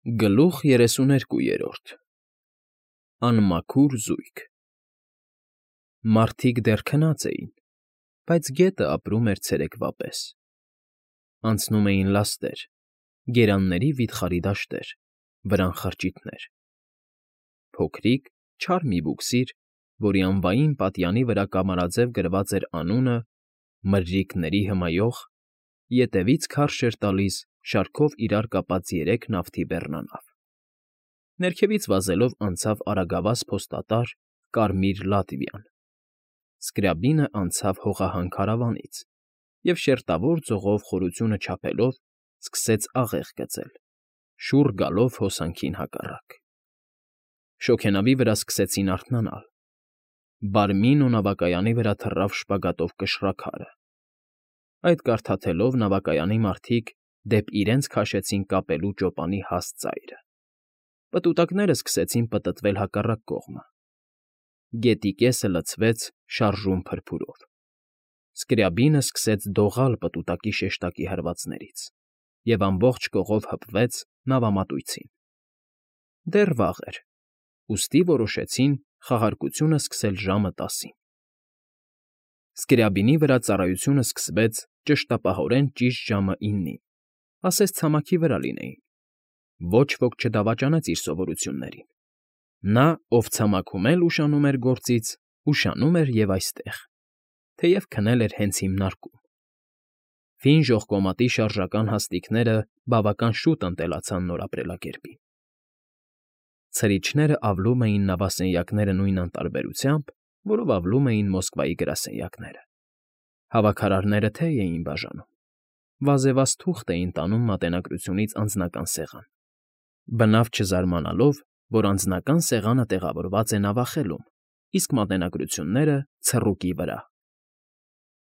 Գլուխ 32 Անմաքուր զույգ Մարդիկ դեռ քնած էին, բայց գետը ապրում էր ցերեկվա պես. անցնում էին լաստեր, գերանների վիթխարի դաշտեր, վրան խրճիթներ. փոքրիկ, չար մի բուքսիր, որի անվային պատյանի վրա կամարաձև գրված էր անունը «Մրրիկների հմայող», ետևից քարշ էր տալիս շարքով իրար կապած 3 նավթի բեռնանավ. ներքևից վազելով անցավ արագավազ փոստատար Կարմիր Լատվիան, Սկրյաբինը անցավ հողահան քարավանից և շերտավոր ձողով խորությունը չափելով սկսեց աղեղ գծել, շուռ գալով հոսանքին հակառակ. շոգենավի վրա սկսեցին արթնանալ, բարմինո նավակայանի վրա թռավ շպագատով կշռաքարը. այդ կարդաթելով նավակայանի մարդիկ դեպ իրենց քաշեցին կապելու ճոպանի հաստ ծայրը, պտուտակները սկսեցին պտտվել հակառակ կողմը, գետի կեսը լցվեց շարժուն փրփուրով, Սկրյաբինը սկսեց դողալ պտուտակի շեշտակի հրվածներից և ամբողջ կողով հպվեց նավամատույցին. դեռ վաղ էր, ուստի որոշեցին խաղարկությունը սկսել ժամը 10-ին. Սկրյաբինի վրա ծառայությունը սկսվեց ճշտապահորեն ճիշտ ժամը 9-ին, ասես ցամաքի վրա լինեին. ոչ ոք չդավաճանեց իր սովորություններին. նա, ով ցամաքում էլ ուշանում էր գործից, ուշանում էր և այստեղ, թեև քնել էր հենց հիմնարկում. Ֆին ժողկոմատի շարժական հաստիքները բավական շուտ ընտելացան նոր ապրելակերպին. ցրիչները ավլում էին նավասենյակները նույն անտարբերությամբ, որով ավլում էին Մոսկվայի գրասենյակները. հավաքարարները թեյ էին բաժանում, վազևազ թուղթ էին տանում մատենագրությունից անձնական սեղան, բնավ չզարմանալով, որ անձնական սեղանը տեղավորված է նավախելում, իսկ մատենագրությունները՝ ցռուկի վրա.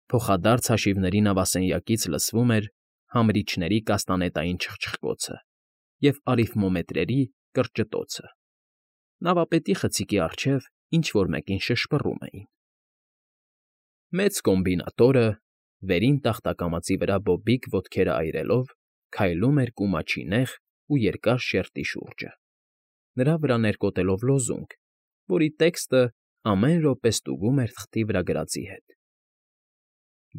փոխադարձ հաշիվների նավասենյակից լսվում էր համրիչների կաստանետային չխչխկոցը և արիթմոմետրերի կրճտոցը, նավապետի խցիկի առջև ինչ֊որ մեկին շշպռում էին. մեծ կոմբինատորը, վերին տախտակամածի վրա բոբիկ ոտքերը այրելով, քայլում էր կումաչի նեղ ու երկար շերտի շուրջը, նրա վրա ներկոտելով լոզունգ, որի տեքստը ամեն րոպե ստուգում էր թղթի վրա գրածի հետ.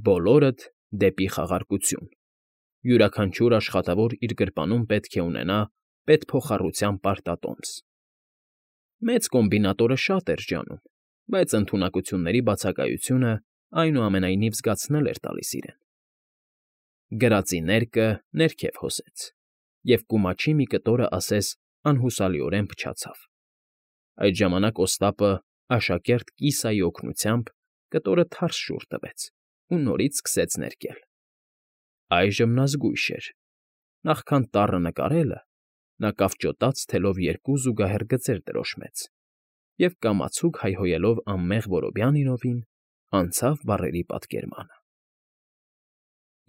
բոլորդ դեպի խաղարկություն, յուրաքանչյուր աշխատավոր իր գրպանում պետք է ունենա պետփոխառության պարտատոմս. Մեծ կոմբինատորը շատ էր ջանում, բայց ընդունակությունների բացակայությունը այնուամենայնիվ զգացնել էր տալիս իրեն. գրածի ներկը ներքև հոսեց, և կումաչի մի կտորը ասես անհուսալիորեն փչացավ. այդ ժամանակ Օստապը աշակերտ կիսայի օգնությամբ կտորը թարս շուռ տվեց ու նորից սկսեց ներկել. այժմ նա զգույշ էր. նախքան տառը նկարելը, նա կավճոտած թելով 2 զուգահեռ գծեր տրոշմեց և կամացուկ հայհոյելով անմեղ Որոբյանինովին, անցավ բառերի պատկերմանը.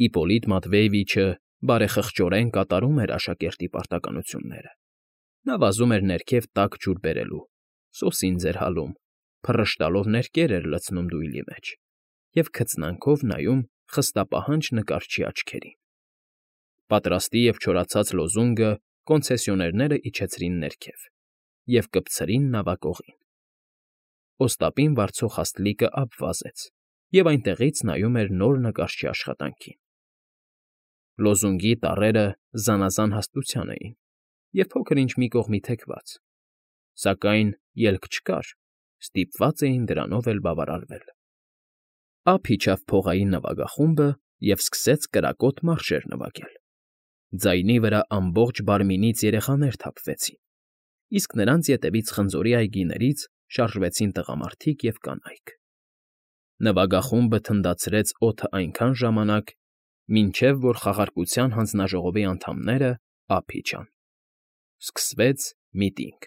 Իպոլիտ Մատվեևիչը բարեխղճորեն կատարում էր աշակերտի պարտականությունները. նա վազում էր ներքև տաք ջուր բերելու, սոսին ձերհալում, փռշտալով ներկեր էր լցնում դույլի մեջ և քծնանքով նայում խստապահանջ նկարչի աչքերին. պատրաստի և չորացած լոզունգը կոնցեսիոներները իջեցրին ներքև և կպցրին նավակողին. Օստապին վարձող հաստլիկը ափ վազեց և այնտեղից նայում էր նոր նկարչի աշխատանքին. լոզունգի տառերը զանազան հաստության էին և փոքր֊ինչ մի կողմի թեքված, սակայն ելք չկար, ստիպված էին դրանով էլ բավարարվել. ափ իջավ փողային նվագախումբը և սկսեց կրակոտ մարշեր նվագել. ձայնի վրա ամբողջ բարմինից երեխաներ թափվեցին, իսկ նրանց ետևից խնձորի այգիներից շարժվեցին տղամարդիկ և կանայք. նվագախումբը թնդացրեց օդը այնքան ժամանակ, մինչև որ խաղարկության հանձնաժողովի անդամները ափ իջան. սկսվեց միտինգ.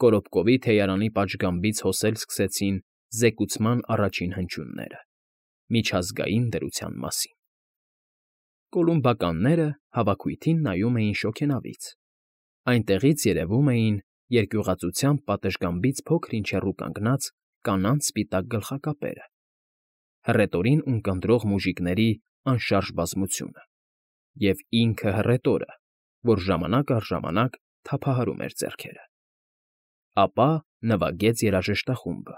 Կորոպկովի թեյարանի պատշգամբից հոսել սկսեցին զեկուցման առաջին հնչյունները, միջազգային դրության մասին. կոլումբականները հավաքույթին նայում էին շոգենավից, այնտեղից երևում էին երկյուղածությամբ պատշգամբից փոքր֊ինչ հեռու կանգնած կանանց սպիտակ գլխակապերը, հռետորին ունկնդրող մուժիկների անշարժ բազմությունը, և ինքը հռետորը, որ ժամանակ առ ժամանակ թափահարում էր ձեռքերը։ Ապա նվագեց երաժշտախումբը։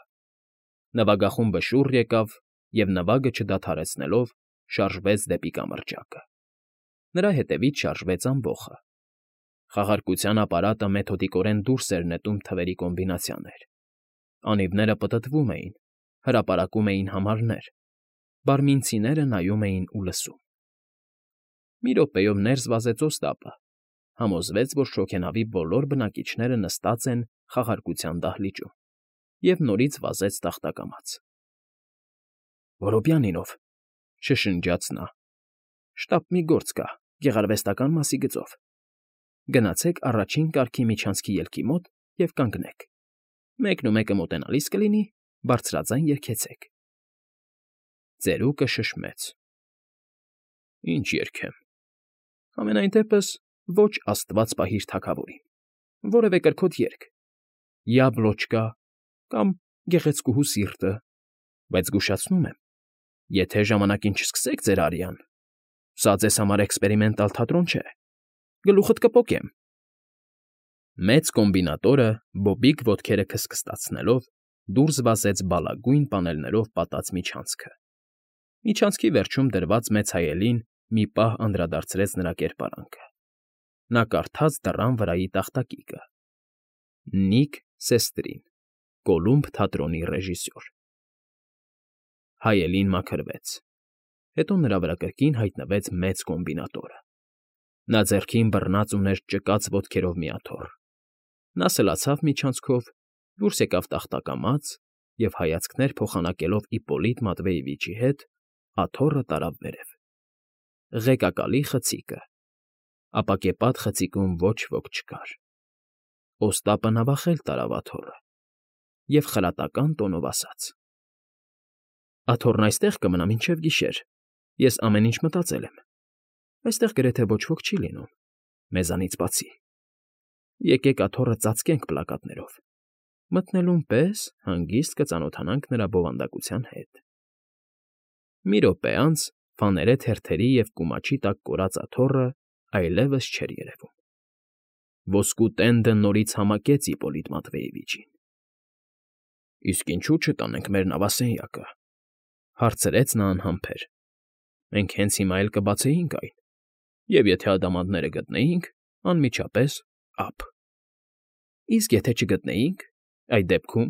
Նվագախումբը շուռ եկավ և, նվագը չդադարեցնելով, շարժվեց դեպի կամրջակը։ Նրա հետևից շարժվեց ամբոխը։ Խաղարկության ապարատը մեթոդիկորեն դուրս էր նետում թվերի կոմբինացիաներ։ Անիվները պտտվում էին, հրապարակում էին համարներ, բարմինցիները նայում էին ու լսում։ Մի րոպեով ներս վազեց Օստապը, համոզվեց, որ շոգենավի բոլոր բնակիչները նստած են խաղարկության դահլիճում, և նորից վազեց տախտակամաց։ «Որոբյանինով,֊ շշնջաց նա,֊ շտապ մի գործ կա գեղարվեստական մասի գծով։ Գնացեք առաջին կարգի միջանցքի ելքի մոտ և կանգնեք։ Մեկնումեկը մոտենալիս կլինի, բարձրաձայն երգեցեք»։ Ծերուկը շշմեց. «Ինչ երգեմ։ Համենայն դեպս ոչ աստված պահիր թագավորին, որևէ կրքոտ երգ, Յաբլոչկա կամ Գեղեցկուհու սիրտը, բայց զգուշացնում եմ, եթե ժամանակին չսկսեք ձեր արյան, սա ձեզ համար էքսպերիմենտալ թատրոն չէ, գլուխդ կպոկեմ»։ Մեծ կոմբինատորը, բոբիկ ոտքերը քստքստացնելով, դուրս վազեց բալագույն պանելներով պատած միջանցքը։ Միջանցքի վերջում դրված մեծ հայելին մի պահ անդրադարձրեց նրա կերպարանքը։ Նա կարդաց դռան վրայի տախտակիկը. Նիք Սեստրին, Կոլումբ թատրոնի ռեժիսոր։ Հայելին մաքրվեց։ Հետո նրա վրա կրկին հայտնվեց մեծ կոմբինատորը։ Նա ձեռքին բռնած ուներ ճկած ոտքերով մի աթոռ։ Նա սլացավ միջանցքով, դուրս եկավ տախտակամաց և, հայացքներ փոխանակելով Իպպոլիտ Մատվեևիչի հետ, աթոռը տարավ վերև։ Ղեկակալի խցիկը։ Ապակեպատ խցիկում ոչ ոք չկար։ Օստապը նավախել տարավ աթոռը և խրատական տոնով ասաց. «Աթոռն այստեղ կմնա մինչև գիշեր, ես ամեն ինչ մտածել եմ։ Այստեղ գրեթե ոչ ոք չի լինում, մեզանից բացի։ Եկեք աթոռը ծածկենք պլակատներով, մտնելուն պես հանգիստ կծանոթանանք նրա բովանդակության հետ»։ Մի րոպե անց ֆաներե թերթերի և կումաչի տակ կորած աթոռը այլևս չէր երևում։ Ոսկու տենդը նորից համակեց Իպպոլիտ Մատվեևիչին։ «Իսկ ինչու չտանենք մեր նավասենյակը,֊ հարցրեց նա անհամբեր։ «Մենք հենց հիմա էլ կբացեինք այն, և եթե ադամանդները գտնեինք, անմիջապես ափ»։ «Իսկ եթե չգտնեինք, այդ դեպքում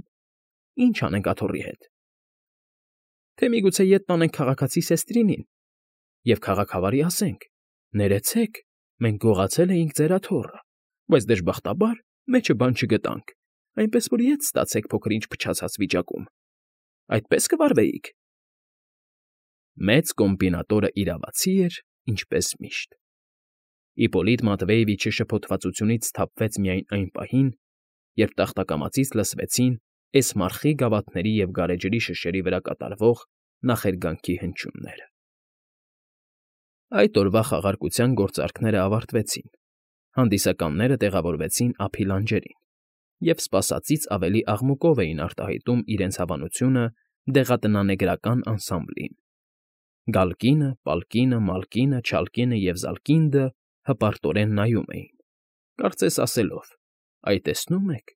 ի՞նչ անենք աթոռի հետ»։ «Թե միգուցե ետ տանենք քաղաքացի Սեստրինին և քաղաքավարի ասենք. ներեցեք, մենք գողացել էինք ձեր աթոռը, բայց դժբախտաբար մեջը բան չգտանք, այնպես որ ետ ստացեք փոքր֊ինչ փչացած վիճակում։ Այդպե՞ս կվարվեիք»։ Մեծ կոմբինատորը իրավացի էր, ինչպես միշտ։ Իպպոլիտ Մատվեևիչը շփոթվածությունից սթափվեց միայն այն պահին, երբ տախտակամածից լսվեցին էսմարխի գավաթների և գարեջրի շշերի վրա կատարվող նախերգանքի հնչյունները։ Այդ օրվա խաղարկության գործարքները ավարտվեցին, հանդիսականները տեղավորվեցին ափի լանջերին և սպասածից ավելի աղմուկով էին արտահայտում իրենց հավանությունը դեղատնանեգրական անսամբլին։ Գալկինը, Պալկինը, Մալկինը, Չալկինը և Զալկինդը հպարտորեն նայում էին, կարծես ասելով. «Այ տեսնո՞ւմ եք,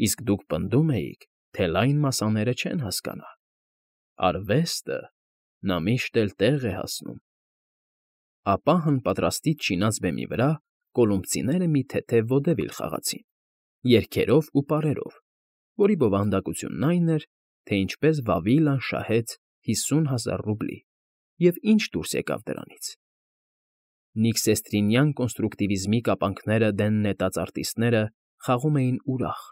իսկ դուք պնդում էիք, թե լայն մասաները չեն հասկանա։ Արվեստը, նա միշտ էլ տեղ է հասնում»։ Ապա հանպատրաստից չինած բեմի վրա կոլումբցիները մի թեթև վոդևիլ խաղացին, երգերով ու պարերով, որի բովանդակությունն այն էր, թե ինչպես Վավիլան շահեց 50,000 ռուբլի և ինչ դուրս եկավ դրանից։ Նիքսեստրինյան կոնստրուկտիվիզմի կապանքները դեն նետած արտիստները խաղում էին ուրախ,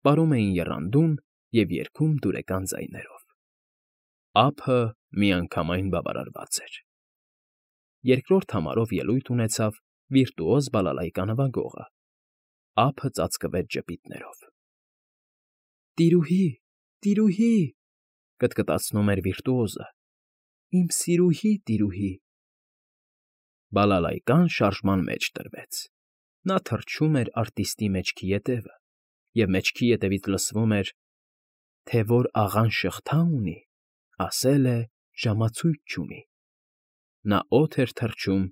պարում էին եռանդուն և երգում դուրեկան ձայներով։ Ափը միանգամայն բավարարված էր։ Երկրորդ համարով ելույթ ունեցավ վիրտուոզ բալալայկա նվագողը։ Ափը ծածկվեց ժպիտներով։ «Տիրուհի, տիրուհի,֊ կտկտացնում էր վիրտուոզը,֊ իմ սիրուհի տիրուհի»։ Բալալայկան շարժման մեջ տրվեց։ Նա թռչում էր արտիստի մեջքի ետևը, և մեջքի ետևից լսվում էր. «Թե որ աղան շղթա ունի, ասել է ժամացույց չունի»։ Նա օդ էր թռչում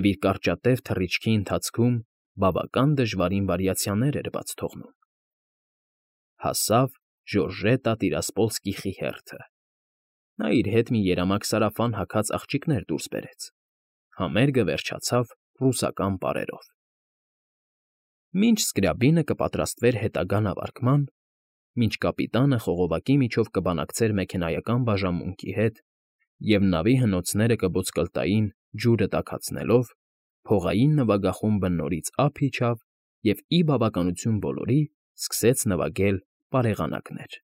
և իր կարճատև թռիչքի ընթացքում բավական դժվարին վարիացիաներ էր բաց թողնում։ Հասավ Ժորժետա Տիրասպոլսկիխի հերթը։ Նա իր հետ մի երամակ սարավան հագած աղջիկներ դուրս բերեց։ Համերգը վերջացավ ռուսական պարերով։ Մինչ Սկրյաբինը կպատրաստվեր հետագա նավարկման, մինչ կապիտանը խողովակի միջով կբանակցեր մեքենայական բաժանմունքի հետ և նավի հնոցները կբոցկլտային ջուրը տաքացնելով, փողային նվագախումբը նորից ափ իջավ և, ի բավականություն բոլորի, սկսեց նվագել պարեղանակներ։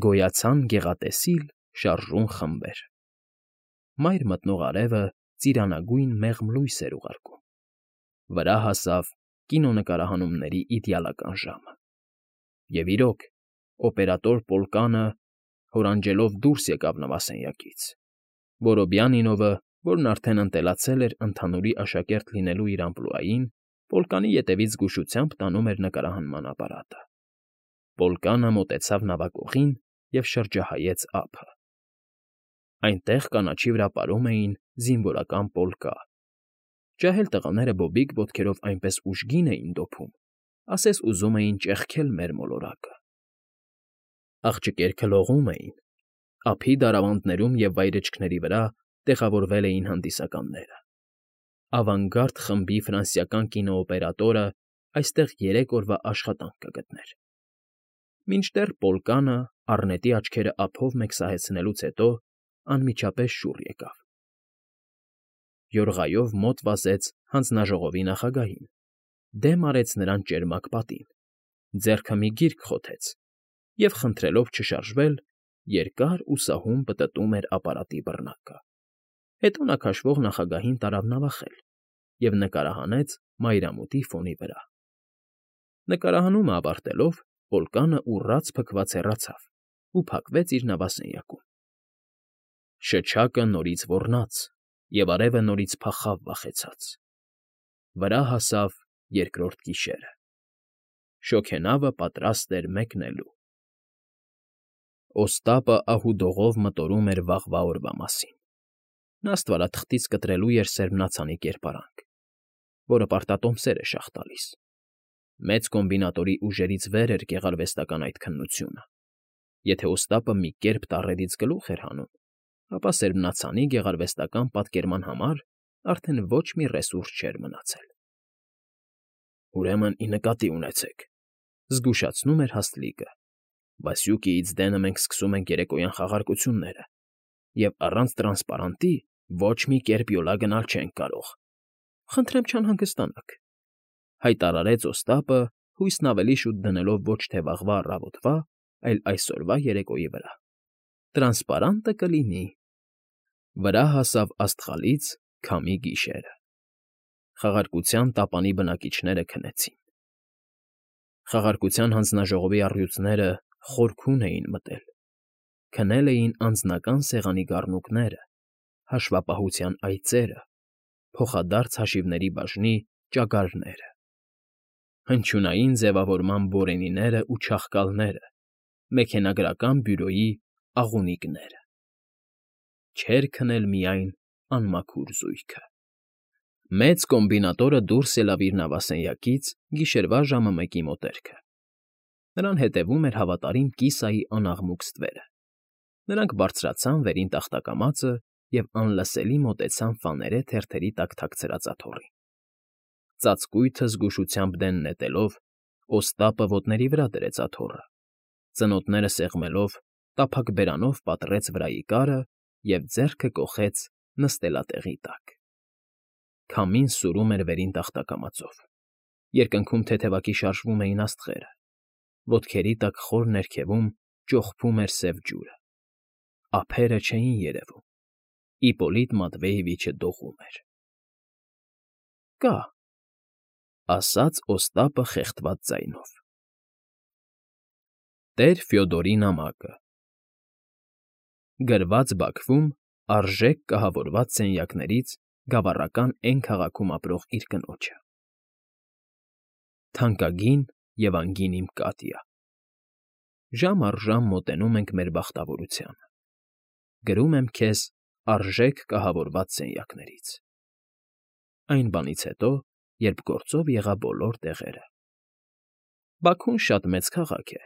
Գոյացան գեղատեսիլ, շարժուն խմբեր։ Մայր մտնող արևը ծիրանագույն մեղմ լույս էր ուղարկում։ Վրա հասավ կինոնկարահանումների իդեալական ժամը։ Եվ իրոք, օպերատոր Պոլկանը հորանջելով դուրս եկավ նավասենյակից։ Որոբյանինովը, որն արդեն ընտելացել էր ընդհանուրի աշակերտ լինելու իր ամպլուային, Պոլկանի ետևից զգուշությամբ տանում էր նկարահանման ապարատը։ Պոլկանը մոտեցավ նավակողին և շրջահայեց ափը։ Այնտեղ կանաչի վրա պարում էին զինվորական պոլկա։ Ջահել տղաները բոբիկ ոտքերով այնպես ուժգին էին դոփում, ասես ուզում էին ճեղքել մեր մոլորակը։ Աղջիկերքը լողում էին։ Ափի դարավանդներում և վայրէջքների վրա տեղավորվել էին հանդիսականները։ Ավանգարդ խմբի ֆրանսիական կինոօպերատորը այստեղ 3 օրվա աշխատանք կգտներ։ Մինչդեռ Պոլկանը, առնետի աչքերը ափով մեկսահեցնելուց հետո, անմիջապես շուռ եկավ։ Յորղայով մոտ վազեց հանձնաժողովի նախագահին, դեմ արեց նրան ճերմակ պատին, ձեռքը մի գիրք խոթեց և, խնդրելով չշարժվել, երկար ու սահուն պտտում էր ապարատի բռնակը։ Հետո նա քաշվող նախագահին տարավ նավախել և նկարահանեց մայրամուտի ֆոնի վրա։ Նկարահանումը ավարտելով, Պոլկանը ուռած փքված հեռացավ ու փակվեց իր նավասենյակում։ Շչակը նորից ոռնաց, և արևը նորից փախավ վախեցած։ Վրա հասավ երկրորդ գիշերը։ Շոգենավը պատրաստ էր մեկնելու։ Օստապը ահուդողով մտորում էր վաղվա օրվա մասին։ Նա ստվարաթղթից կտրելու էր սերմնացանի կերպարանք, որը պարտատոմսեր է շաղ տալիս։ Մեծ կոմբինատորի ուժերից վեր էր գեղարվեստական այդ քննությունը։ Եթե Օստապը մի կերպ տառերից գլուխ էր հանում, ապա սերմնացանի գեղարվեստական պատկերման համար արդեն ոչ մի ռեսուրս չէր մնացել։ «Ուրեմն ի նկատի ունեցեք,֊ զգուշացնում էր Հասլիկը,֊ Վասյուկիից դենը մենք սկսում ենք երեկոյան խաղարկությունները, և առանց տրանսպարանտի ոչ մի կերպ յոլա գնալ չենք կարող։ Խնդրեմ չանհանգստանաք,֊ հայտարարեց Օստապը, հույսն ավելի շուտ դնելով ոչ թե վաղվա առավոտվա, այլ այսօրվա երեկոյի վրա։ Տրանսպարանտը կլինի։ Վրա հասավ աստղալից քամի գիշերը։ Խաղարկության տապանի բնակիչները քնեցին։ Խաղարկության հանձնաժողովի առյուծները խորքուն էին մտել։ Քնել էին անձնական սեղանի գառնուկները, հաշվապահության այծերը, փոխադարձ հաշիվների բաժնի ճագարները, հնչյունային ձևավորման բորենիները ու չաղկալները, մեքենագրական բյուրոյի աղունիկները։ Չէր քնել միայն անմաքուր զույգը։ Մեծ կոմբինատորը դուրս ելավ իր նավասենյակից գիշերվա ժամը 1-ի մոտերքը։ Նրան հետևում էր հավատարիմ կիսայի անաղմուկ ստվերը։ Նրանք բարձրացան վերին տախտակամածը և անլսելի մոտեցան ֆաներե թերթերի տակ թաքցրած աթոռին։ Ծածկույթը զգուշությամբ դեն նետելով, Օստապը ոտների վրա դրեց աթոռը, ծնոտները սեղմելով, տափակ բերանով պատռեց վրայի կարը և ձեռքը կոխեց նստելատեղի տակ։ Քամին սուրում էր վերին տախտակամածով։ Երկնքում թեթևակի շարժվում էին աստղերը։ Ոտքերի տակ խոր ներքևում ճոխփում էր սև ջուրը։ Ափերը չէին երևում։ Իպոլիտ Մատվեևիչը դողում էր։ «Կա,֊ ասաց Օստապը խեղդված ձայնով։ Տեր Ֆյոդորի նամակը։ Գրված Բաքվում արժեք կահավորված սենյակներից գավառական Էն քաղաքում ապրող իր կնոջը։ Թանկագին և անգին իմ Կատյա, ժամ առ ժամ մոտենում ենք մեր բախտավորությանը։ Գրում եմ քեզ արժեք կահավորված սենյակներից։ Այն բանից հետո, երբ գործով եղա բոլոր տեղերը։ Բաքուն շատ մեծ քաղաք է։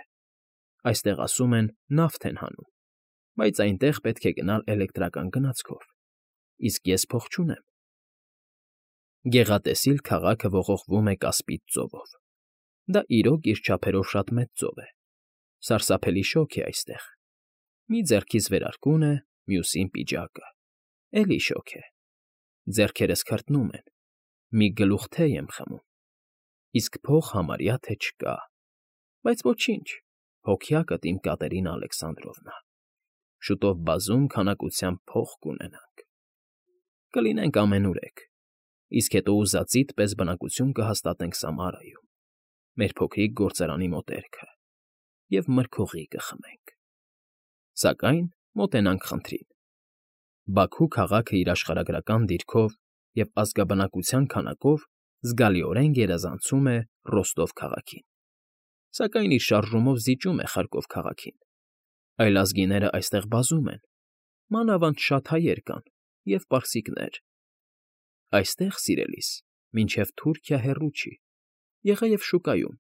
Այստեղ ասում են նավթ են հանում, բայց այնտեղ պետք է գնալ էլեկտրական գնացքով, իսկ ես փող չունեմ։ Գեղատեսիլ քաղաքը ողողվում է Կասպից ծովով։ Դա իրոք իր չափերով շատ մեծ ծով է։ Սարսափելի շոգ է այստեղ։ Մի ձեռքից վերարկուն է, մյուսին պիջակը։ Էլի շոգ է։ Ձեռքերս քրտնում են, մի գլուխ թեյ եմ խմում, իսկ փող համարյա թե չկա, բայց ոչինչ, հոգյակդ իմ Կատերինա Ալեքսանդրովնա, շուտով բազում քանակությամբ փող կունենանք, կլինենք ամենուրեք, իսկ հետո ուզածիդ պես բնակություն կհաստատենք Սամարայում, մեր փոքրիկ գործարանի մոտերքը, և մրգօղի կխմենք, սակայն մոտենանք խնդրին։ Բաքու քաղաքը իր աշխարհագրական դիրքով և ազգաբնակության քանակով զգալիորեն գերազանցում է Ռոստով քաղաքին, սակայն իր շարժումով զիջում է Խարկով քաղաքին։ Այլազգիները այստեղ բազում են, մանավանդ շատ հայեր կան և պարսիկներ։ Այստեղ, սիրելիս, մինչև Թուրքիա հեռու չի, եղա և շուկայում,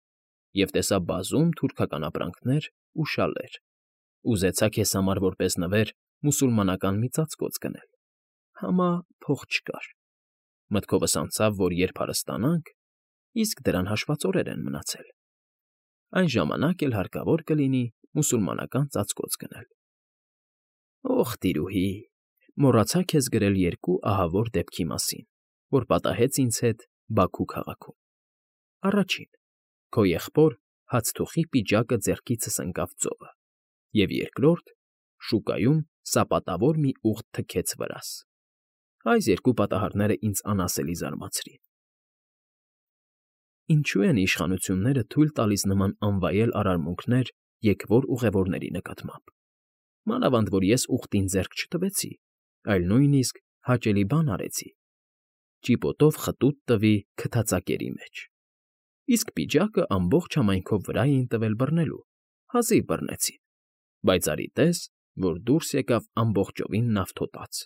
և տեսա բազում թուրքական ապրանքներ ու շալեր, ուզեցա քեզ համար որպես նվեր մուսուլմանական մի ծածկոց գնել, համա փող չկար, մտքովս անցավ, որ երբ հարստանանք, իսկ դրան հաշված օրեր են մնացել, այն ժամանակ էլ հարկավոր կլինի մուսուլմանական ծածկոց գնել։ Օխ, տիրուհի, մոռացա քեզ գրել երկու ահավոր դեպքի մասին, որ պատահեց ինձ հետ Բաքու քաղաքում։ Առաջին՝ քո եղբոր հացթուխի պիջակը ձեռքիցս ընկավ ծովը, և երկրորդ՝ շուկայում սապատավոր մի ուղտ թքեց վրաս։ Այս երկու պատահարները ինձ անասելի զարմացրին։ Ինչու են իշխանությունները թույլ տալիս նման անվայել արարմունքներ եկվոր ուղևորների նկատմամբ, մանավանդ որ ես ուղտին ձեռք չտվեցի, այլ նույնիսկ հաճելի բան արեցի. ճիպոտով խտուտ տվի քթածակերի մեջ, իսկ պիջակը ամբողջ համայնքով վրա էին տվել բռնելու, հազիվ բռնեցին, բայց արի տես, որ դուրս եկավ ամբողջովին նավթոտած։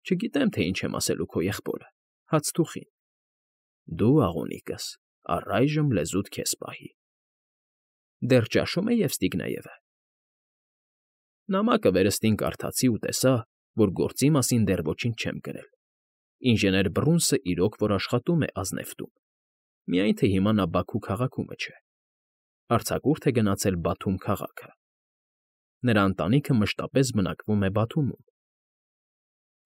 Չգիտեմ, թե ինչ եմ ասելու քո եղբորը, հացթուխին։ Դու, աղունիկս, առայժմ լեզուդ քեզ պահի։ Դեռ ճաշում է Եվստիգնեևը։ Նամակը վերստին կարդացի ու տեսա, որ գործի մասին դեռ ոչինչ չեմ գրել։ Ինժեներ Բռունսը իրոք որ աշխատում է ազնեվտում, միայն թե հիմա նա Բաքու քաղաքումը չէ։ Արձակուրդ է գնացել Բաթում քաղաքը։ Նրա ընտանիքը մշտապես բնակվում է Բաթումում։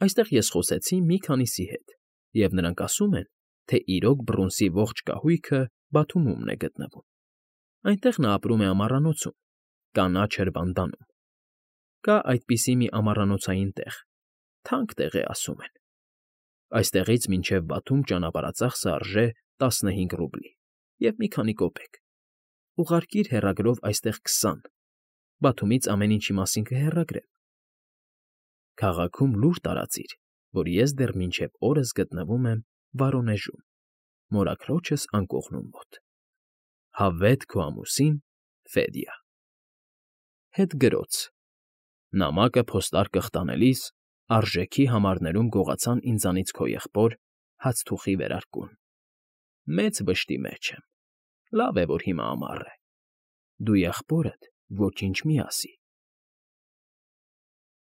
Այստեղ ես խոսեցի մի քանիսի հետ, և նրանք ասում են, թե իրոք Բռունսի ողջ կահույքը Բաթումումն է գտնվում։ Այնտեղ նա ապրում է ամառանոցում, կանաչ հրվանդանում։ Կա այդպիսի մի ամառանոցային տեղ, թանկ տեղ է, ասում են։ Այստեղից մինչև Բաթում ճանապարհածախսը արժե 15 ռուբլի և մի քանի կոպեկ։ Ուղարկիր հեռագրով այստեղ 20, Բաթումից ամեն ինչի մասին կհեռագրեմ։ Քաղաքում լուր տարածիր, որ ես դեռ մինչև օրս գտնվում եմ Վորոնեժում, մորաքրոջս անկողնում մոտ։ Հավետ քո ամուսին Ֆեդյա։ Հետգրոց. նամակը փոստարկղ տանելիս արժեքի համարներում գողացան ինձանից քո եղբոր հացթուխի վերարկուն։ Մեծ վշտի մեջ եմ։ Լավ է, որ հիմա ամառ է։ Դու եղբորդ ոչինչ մի ասի,